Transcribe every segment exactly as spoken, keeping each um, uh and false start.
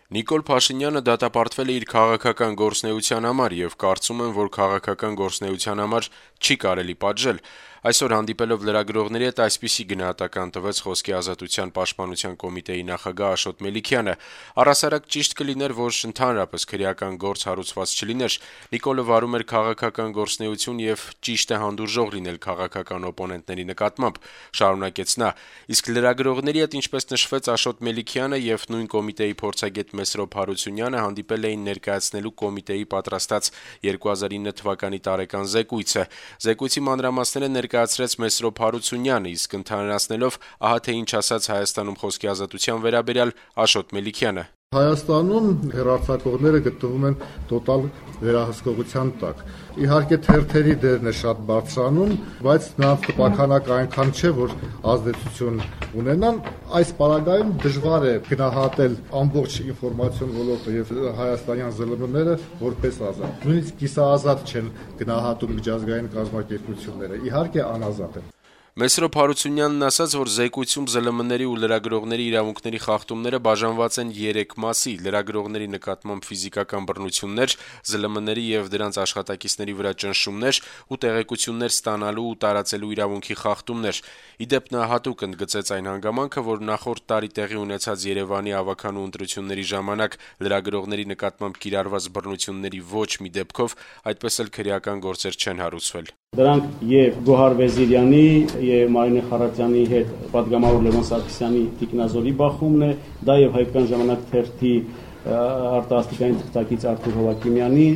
Նիկոլ Փաշինյանը դատապարտվել է իր քաղաքական գործունեության համար եւ կարծում եմ, որ քաղաքական գործունեության համար չի կարելի պատժել։ Այսօր հանդիպելով լրագրողների հետ այսպիսի գնահատական տվեց Խոսքի ազատության պաշտպանության կոմիտեի նախագահ Աշոտ Մելիքյանը։ Առհասարակ ճիշտ կլիներ, որ ընդհանրապես քրեական գործ հարուցված չլիներ։ Նիկոլը վարում էր քաղաքական գործունեություն եւ ճիշտ է հանդուրժող լինել քաղաքական օպոնենտների նկատմամբ, շարունակեց նա։ Իսկ լրագրողների հետ, ինչպես նշվեց, Աշոտ Մելիքյանը եւ նույն կոմիտեի փորձագետ Մեսրոպ Հարությունյանը հանդիպել էին ներկայացնելու կոմիտեի պատրաստած երկու հազար ինը թվականի տարեկան զեկույցը։ Զեկույցի մանրամասները ներկայացրեց Մեսրոպ Հարությունյանը, իսկ ընդհանրացնելով ահա թե ինչ ասաց Հայաստանում Խոսքի ազատության վերաբերյալ Աշոտ Մելիքյանը։ Հայաստանում հեռարձակողները գտնվում են տոտալ վերահսկողության տակ։ Իհարկե թերթերի դերն է շատ բարձրանում, բայց նրանց տպաքանակը այնքան չէ, որ ազդեցություն ունենան։ Այս պարագայում դժվար է գնահատել ամբողջ ինֆորմացիոն ոլորտը եւ հայաստանյան ԶԼՄ-ները որպես ազատ։ Նույնիսկ կիսաազատ չեն գնահատում միջազգային կազմակերպությունները։ Իհարկե անազատ են։ Մեսրոպ Հարությունյանն ասաց, որ զեկույցում ԶԼՄ-ների ու լրագրողների իրավունքների խախտումները բաժանված են երեք մասի՝ լրագրողների նկատմամբ ֆիզիկական բռնություններ, ԶԼՄ-ների եւ դրանց աշխատակիցների վրա ճնշումներ ու տեղեկություններ ստանալու ու տարածելու իրավունքի խախտումներ։ Ի դեպ, նա հատուկ ընդգծեց այն հանգամանքը, որ նախորդ տարի տեղի ունեցած Երևանի ավականու ընտրությունների ժամանակ լրագրողների նկատմամբ կիրառված բռնությունների ոչ մի դեպքով այդպես էլ քրեական գործեր չեն հարուցվել։ Դրանք եւ Գոհար Վեզիրյանի եւ Մարինե Խարատյանի հետ պատգամավոր Լևոն Սարգսյանի տիկնազորի բախումն է, դա եւ Հայկական ժամանակ թերթի արտասթիկային թղթակից Արթուր Հովակիմյանի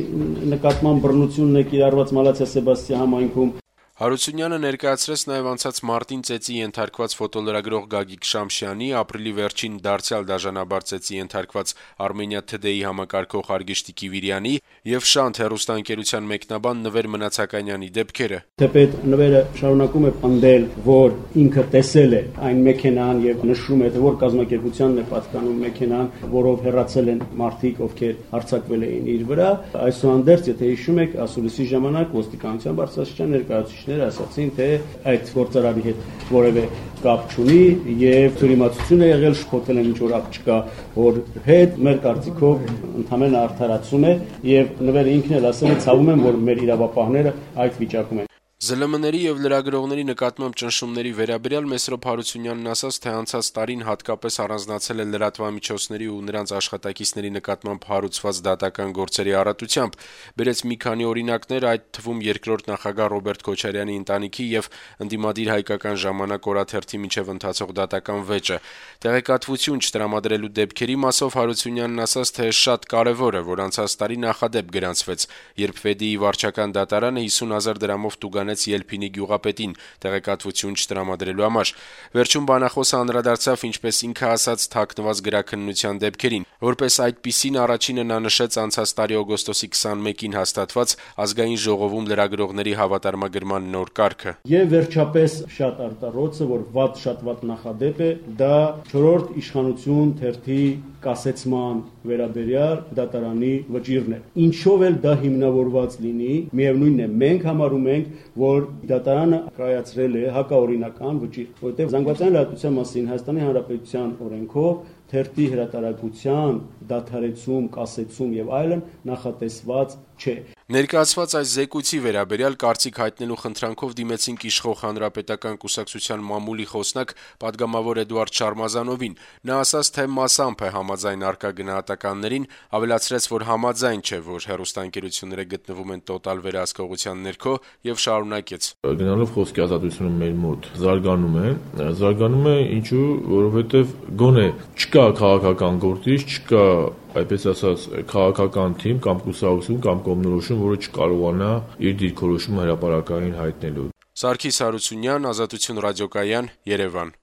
նկատմամբ բռնությունն է կիրառված Մալացիա Սեբաստիա համայնքում։ Հարությունյանը ներկայացրեց նաև անցած մարտին ծեծի ենթարկված ֆոտոլրագրող Գագիկ Շամշյանի, ապրիլի վերջին դարձյալ դաժանաբար ծեծի ենթարկված Armenia Today համակարգող Արգիշտի Կիվիրյանի եւ Շանթ հեռուստաընկերության մեկնաբան Նվեր Մնացականյանի դեպքերը։ Թեպետ Նվերը շարունակում է պնդել, որ ինքը տեսել է այն մեքենան եւ նշում է, որ կազմակերպությանն է պատկանում մեքենան, որով հեռացել են մարդիկ, ովքեր հարձակվել էին իր վրա։ Այսուհանդերձ, եթե հիշում եք, ասուլիսի ժամանակ ոստիկանության բարձրաստիճան ներկայացուցիչները ասացին, թե այդ գործարարի հետ որևէ կապ չունի եւ թյուրիմացություն է եղել, շփոթել են ինչ որ աղջկա որ հետ, մեր կարծիքով ընդհանրեն արդարացում է եւ Նվերը ինքն էլ ասել է, ցավում եմ, որ մեր իրավապահները այդ վիճակում են։ ԶԼՄ-ների եւ լրագրողների նկատմամբ ճնշումների վերաբերյալ Մեսրոպ Հարությունյանն ասաց, թե անցած տարին հատկապես առանձնացել է լրատվամիջոցների ու նրանց աշխատակիցների նկատմամբ հարուցված դատական գործերի առատությամբ։ Բերեց մի քանի օրինակներ, այդ թվում երկրորդ նախագահ Ռոբերտ Քոչարյանի ընտանիքի եւ ընդդիմադիր Հայկական ժամանակ օրաթերթի միջև ընթացող դատական վեճը։ Տեղեկատվություն չտրամադրելու դեպքերի մասով Հարությունյանն ասաց, թե շատ կարեւոր է, որ անցած տարի նախադեպ գրանցվեց, երբ Վեդիի վարչական դատարանը հիսուն հազար դրամով տուգանեց Ելփինի գյուղապետին տեղեկատվություն չտրամադրելու համար։ Վերջում բանախոսը անդրադարձավ, ինչպես ինքը ասաց, թաքնված գրաքննության դեպքերին։ Որպես այդպիսին առաջինը նա նշեց անցած տարի օգոստոսի քսանմեկին հաստատված ազգային ժողովում լրագրողների հավատարմագրման նոր կարգը։ Եվ վերջապես շատ արտարոծը, որ վատ շատ վատ նախադեպ է, դա չորրորդ իշխանություն թերթի կասեցման վերաբերյալ դատարանի վճիռն է։ Ինչով էլ դա հիմնավորված լինի, միևնույնն է, մենք համարում ենք, որ դատարանը կայացրել է հակաօրինական վճիռ, որովհետև զանգվածային լրատվության մասին Հայաստանի Հանրապետության օրենքով թերթի հրատարակության դադարեցում, կասեցում եւ այլն նախատեսված չէ։ Ներկայացված այս զեկույցի վերաբերյալ կարծիք հայտնելու խնդրանքով դիմեցինք իշխող Հանրապետական կուսակցության մամուլի խոսնակ պատգամավոր Էդուարդ Շարմազանովին։ Նա ասաց, թե մասամբ է համաձայն արկա գնահատականներին, ավելացրեց, որ համաձայն չէ, որ հեռուստաընկերությունները գտնվում են տոտալ վերահսկողության ներքո եւ շարունակեց. Գնալով խոսքի ազատությունը մեր մոտ զարգանում է, զարգանում է ինչու, որովհետեւ գոնե չկա քաղաքական գործիչ, չկա այդպես ասած քաղաքական թիմ կամ կուսակցություն կամ կողմնորոշում, որը չկարողանա իր դիրքորոշումը հրապարակային հայտնելու։ Սարգիս Հարությունյան, Ազատություն ռադիոկայան, Երևան։